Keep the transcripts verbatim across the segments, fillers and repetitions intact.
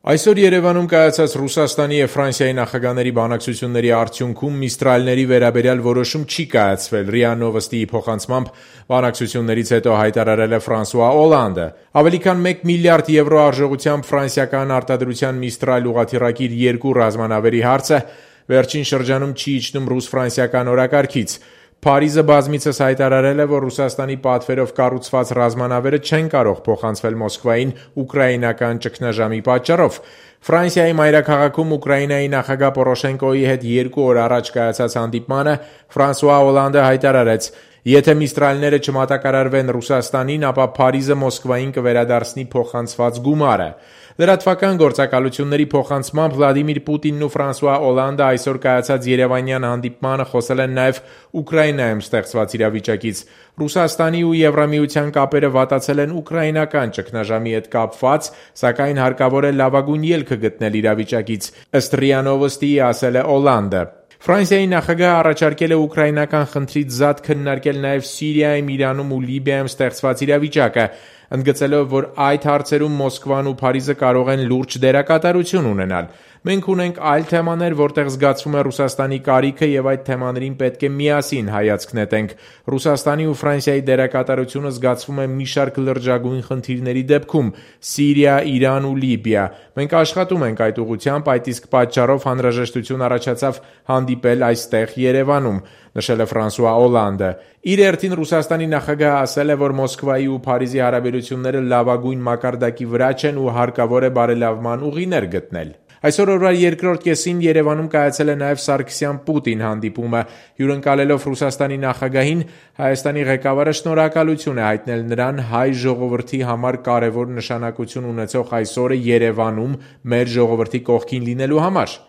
Այսօր Երևանում կայացած Ռուսաստանի և Ֆրանսիայի նախագահների բանակցությունների արդյունքում Միստրալների վերաբերյալ որոշում չի կայացվել, ՌԻԱ Նովոստիի փոխանցմամբ բանակցություններից հետո հայտարարել է Ֆրանսուଆ Օլանդը։ Ավելի քան մեկ միլիարդ եվրո արժողությամբ ֆրանսիական արտադրության Միստրալ ուղղաթիռակիր երկու ռազմանավերի հարցը վերջին շրջանում չի իջնում ռուս-ֆրանսիական օրակարգից։ Փարիզը բազմիցս հայտարարել է, որ Ռուսաստանի պատվերով կառուցված ռազմանավերը չեն կարող փոխանցվել Մոսկվային ուկրաինական ճգնաժամի պատճառով։ Ֆրանսիայի մայրաքաղաքում Ուկրաինայի նախագահ Պորոշենկոյի հետ երկու օր առաջ կայացած հանդիպմանը Ֆրանսուଆ Օլանդը հայտարարեց. «Եթե Միստրալները չմատակարարվեն Ռուսաստանին, ապա Փարիզը Մոսկվային կվերադարձնի փոխանցված գումարը»։ Լրատվական գործակալությունների փոխանցմամբ Վլադիմիր Պուտինն ու Ֆրանսուଆ Օլանդը այսօր կայացած երևանյան հանդիպմանը խոսել են նաև Ուկրաինայում ստեղծված իրավիճակից։ Ռուսաստանի ու Եվրամիության կապերը վատացել են ուկրաինական ճգնաժամի հետ կապված, սակայն հարկավոր է լավագույն ելքը գտնել իրավիճակից, ըստ ՌԻԱ Նովոստիի ասել է Օլանդը։ Ֆրանսիայի նախագահը առաջարկել է ուկրաինական խնդրից զատ քննարկել նաև Սիրիայում, Իրանում ու Լիբիայում ստեղծված իրավիճակը, ընդգծելով, որ այդ հարցերում Մոսկվան ու Փարիզը կարող են լուրջ դերակատարություն ունենալ։ «Մենք ունենք այլ թեմաներ, որտեղ զգացվում է Ռուսաստանի կարիքը և այդ թեմաներին պետք է միասին հայացք նետենք։ Ռուսաստանի ու Ֆրանսիայի դերակատարությունը զգացվում է մի շարք լրջագույն խնդիրների դեպքում՝ Սիրիա, Իրան ու Լիբիա։ Մենք աշխատում ենք այդ ուղղությամբ, այդ իսկ պատճառով անհրաժեշտություն առաջացավ հանդիպել այստեղ Երևանում», նշել է Ֆրանսուଆ Օլանդը։ Իր հերթին Ռուսաստանի նախագահը ասել է, որ Մոսկվայի ու Փարիզի հարաբերությունները լավագույն մակարդակի վրա չեն ու հարկավոր է բարելավման ուղիներ գտնել։ Այսօր օրվա երկրորդ կեսին Երևանում կայացել է նաև Սարգսյան-Պուտին հանդիպումը։ Հյուրընկալելով Ռուսաստանի նախագահին, Հայաստանի ղեկավարը շնորհակալություն է հայտնել նրան հայ ժողովրդի համար կարևոր նշանակություն ունեցող այս օրը Երևանում մեր ժողովրդի կողքին լինելու համար։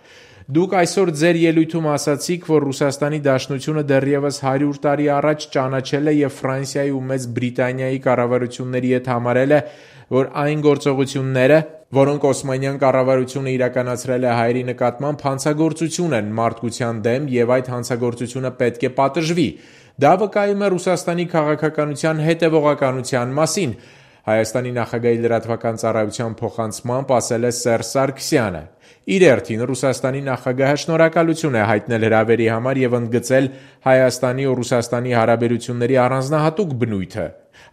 «Դուք այսօր ձեր ելույթում ասացիք, որ Ռուսաստանի Դաշնությունը դեռևս հարյուր տարի առաջ ճանաչել է և Ֆրանսիայի ու Մեծ Բրիտանիայի կառավարությունների հետ համարել է, որ այն գործողությունները, որոնք Օսմանյան կառավարությունը իրականացրել է հայերի նկատմամբ, հանցագործություն են մարդկության դեմ և այդ հանցագործությունը պետք է պատժվի։ Դա վկայում է Ռուսաստանի քաղաքականության հետևողականության մասին», Հայաստանի նախագահի լրատվական ծառայության փոխանցմամբ ասել է Սերժ Սարգսյանը։ Իր հերթին Ռուսաստանի նախագահը շնորհակալություն է հայտնել հրավերի համար և ընդգծել Հայաստանի ու Ռուսաստանի հարաբերությունների առանձնահատուկ բնույթը։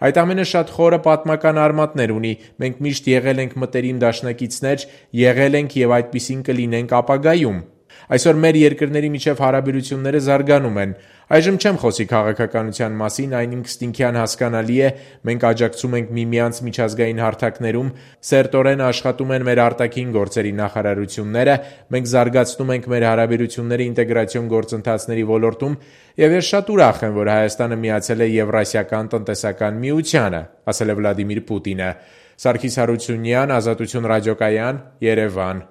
«Այդ ամենը շատ խորը պատմական արմատներ ունի։ Մենք միշտ եղել ենք մտերիմ դաշնակիցներ, եղել ենք և այդպիսին կլինենք ապագայում։ Այսօր մեր երկրների միջև հարաբերությունները զարգանում են։ Այժմ չեմ խոսի քաղաքականության մասին, այն ինքնըստինքյան հասկանալի է, մենք աջակցում ենք միմյանց միջազգային հարթակներում, սերտորեն աշխատում են մեր արտաքին գործերի նախարարությունները, մենք զարգացնում ենք մեր հարաբերությունները ինտեգրացիոն գործընթացների ոլորտում և ես շատ ուրախ եմ, որ Հայաստանը միացել է Եվրասիական տնտեսական միությանը», ասել է Վլադիմիր Պուտինը։ Սարգիս Հարությունյան, Ազատություն ռադիոկայան, Երևան։